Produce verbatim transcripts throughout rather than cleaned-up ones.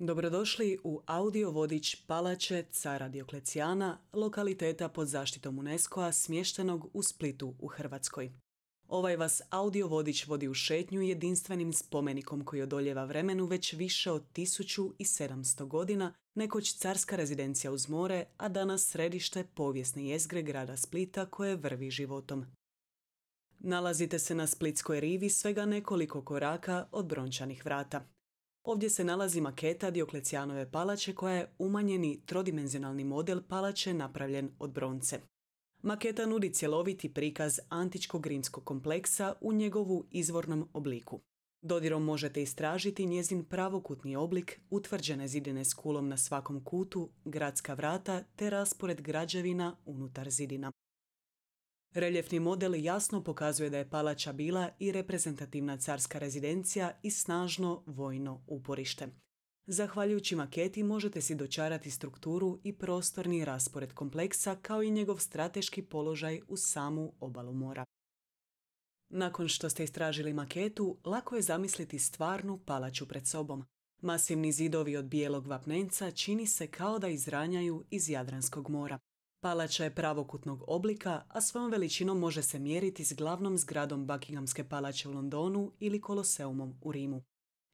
Dobrodošli u audio vodič Palače cara Dioklecijana, lokaliteta pod zaštitom UNESCO-a smještenog u Splitu u Hrvatskoj. Ovaj vas audio vodič vodi u šetnju jedinstvenim spomenikom koji odoljeva vremenu već više od tisuću sedamsto godina, nekoć carska rezidencija uz more, a danas središte povijesne jezgre grada Splita koje vrvi životom. Nalazite se na Splitskoj rivi svega nekoliko koraka od brončanih vrata. Ovdje se nalazi maketa Dioklecijanove palače koja je umanjeni trodimenzionalni model palače napravljen od bronce. Maketa nudi cjeloviti prikaz antičkog rimskog kompleksa u njegovu izvornom obliku. Dodirom možete istražiti njezin pravokutni oblik, utvrđene zidine s kulom na svakom kutu, gradska vrata te raspored građevina unutar zidina. Reljefni model jasno pokazuje da je palača bila i reprezentativna carska rezidencija i snažno vojno uporište. Zahvaljujući maketi možete si dočarati strukturu i prostorni raspored kompleksa kao i njegov strateški položaj uz samu obalu mora. Nakon što ste istražili maketu, lako je zamisliti stvarnu palaču pred sobom. Masivni zidovi od bijelog vapnenca čini se kao da izranjaju iz Jadranskog mora. Palača je pravokutnog oblika, a svojom veličinom može se mjeriti s glavnom zgradom Buckinghamske palače u Londonu ili Koloseumom u Rimu.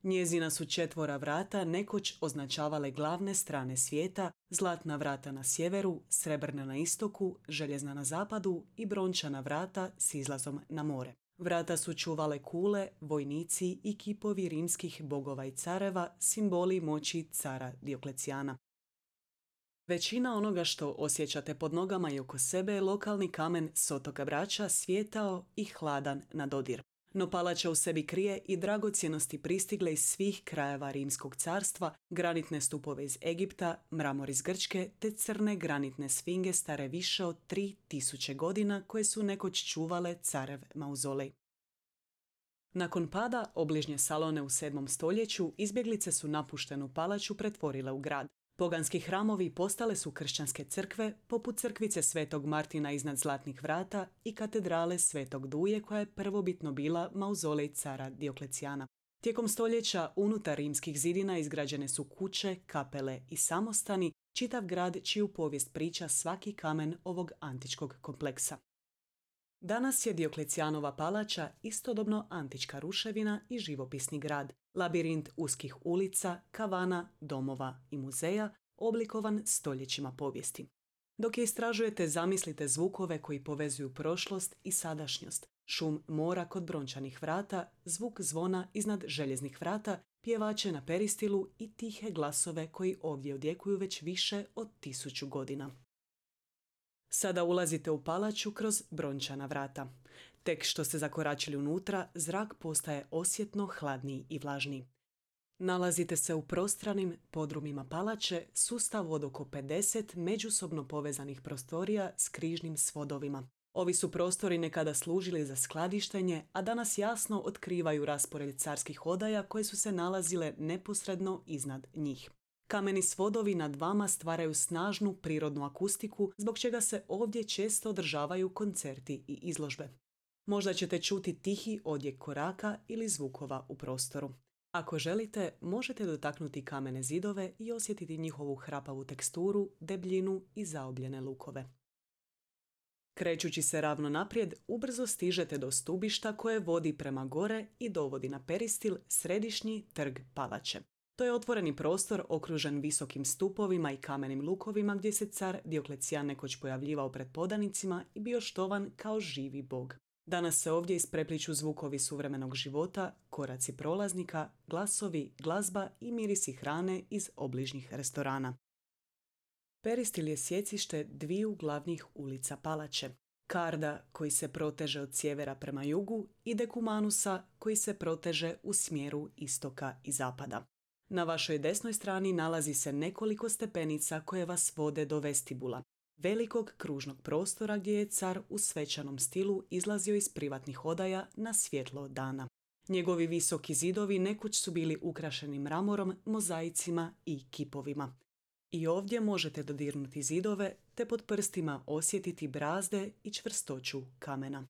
Njezina su četvora vrata nekoć označavale glavne strane svijeta, zlatna vrata na sjeveru, srebrna na istoku, željezna na zapadu i brončana vrata s izlazom na more. Vrata su čuvale kule, vojnici i kipovi rimskih bogova i careva, simboli moći cara Dioklecijana. Većina onoga što osjećate pod nogama i oko sebe je lokalni kamen s otoka Brača, svijetao i hladan na dodir. No palača u sebi krije i dragocjenosti pristigle iz svih krajeva Rimskog carstva, granitne stupove iz Egipta, mramor iz Grčke te crne granitne sfinge stare više od tri tisuće godina koje su nekoć čuvale carev mauzolej. Nakon pada obližnje Salone u sedmom stoljeću, izbjeglice su napuštenu palaču pretvorile u grad. Poganski hramovi postale su kršćanske crkve, poput crkvice Svetog Martina iznad Zlatnih vrata i katedrale Svetog Duje koja je prvobitno bila mauzolej cara Dioklecijana. Tijekom stoljeća unutar rimskih zidina izgrađene su kuće, kapele i samostani, čitav grad čiju povijest priča svaki kamen ovog antičkog kompleksa. Danas je Dioklecijanova palača istodobno antička ruševina i živopisni grad, labirint uskih ulica, kavana, domova i muzeja, oblikovan stoljećima povijesti. Dok je istražujete, zamislite zvukove koji povezuju prošlost i sadašnjost, šum mora kod brončanih vrata, zvuk zvona iznad željeznih vrata, pjevače na peristilu i tihe glasove koji ovdje odjekuju već više od tisuću godina. Sada ulazite u palaču kroz brončana vrata. Tek što ste zakoračili unutra, zrak postaje osjetno hladniji i vlažniji. Nalazite se u prostranim podrumima palače, sustav od oko pedeset međusobno povezanih prostorija s križnim svodovima. Ovi su prostori nekada služili za skladištenje, a danas jasno otkrivaju raspored carskih odaja koje su se nalazile neposredno iznad njih. Kameni svodovi nad vama stvaraju snažnu prirodnu akustiku, zbog čega se ovdje često održavaju koncerti i izložbe. Možda ćete čuti tihi odjek koraka ili zvukova u prostoru. Ako želite, možete dotaknuti kamene zidove i osjetiti njihovu hrapavu teksturu, debljinu i zaobljene lukove. Krećući se ravno naprijed, ubrzo stižete do stubišta koje vodi prema gore i dovodi na peristil središnji trg palače. To je otvoreni prostor okružen visokim stupovima i kamenim lukovima gdje se car Dioklecijan nekoć pojavljivao pred podanicima i bio štovan kao živi bog. Danas se ovdje isprepliču zvukovi suvremenog života, koraci prolaznika, glasovi, glazba i mirisi hrane iz obližnjih restorana. Peristil je sjecište dviju glavnih ulica palače. Karda koji se proteže od sjevera prema jugu i Dekumanusa koji se proteže u smjeru istoka i zapada. Na vašoj desnoj strani nalazi se nekoliko stepenica koje vas vode do vestibula, velikog kružnog prostora gdje je car u svečanom stilu izlazio iz privatnih odaja na svjetlo dana. Njegovi visoki zidovi nekoć su bili ukrašeni mramorom, mozaicima i kipovima. I ovdje možete dodirnuti zidove te pod prstima osjetiti brazde i čvrstoću kamena.